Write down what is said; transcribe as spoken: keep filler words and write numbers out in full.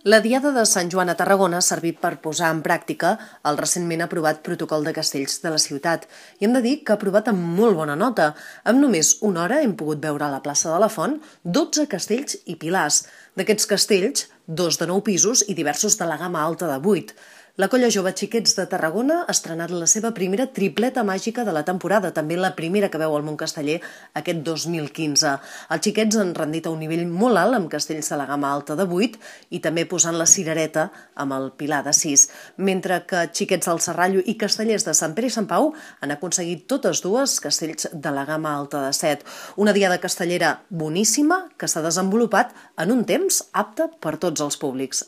La Diada de Sant Joan a Tarragona ha servit per posar en pràctica el recentment aprovat protocol de castells de la ciutat. I hem de dir que ha aprovat amb molt bona nota. Amb només una hora hem pogut veure a la plaça de la Font dotze castells i pilars. D'aquests castells, dos de nou pisos i diversos de la gamma alta de vuit. La Colla Jove Xiquets de Tarragona ha estrenat la seva primera tripleta màgica de la temporada, també la primera que veu al món casteller aquest dos mil quinze. Els xiquets han rendit a un nivell molt alt amb castells de la gamma alta de vuit i també posant la cirereta amb el pilar de sis, mentre que xiquets del Serrallo i castellers de Sant Pere i Sant Pau han aconseguit totes dues castells de la gamma alta de set. Una diada castellera boníssima que s'ha desenvolupat en un temps apte per tots els públics.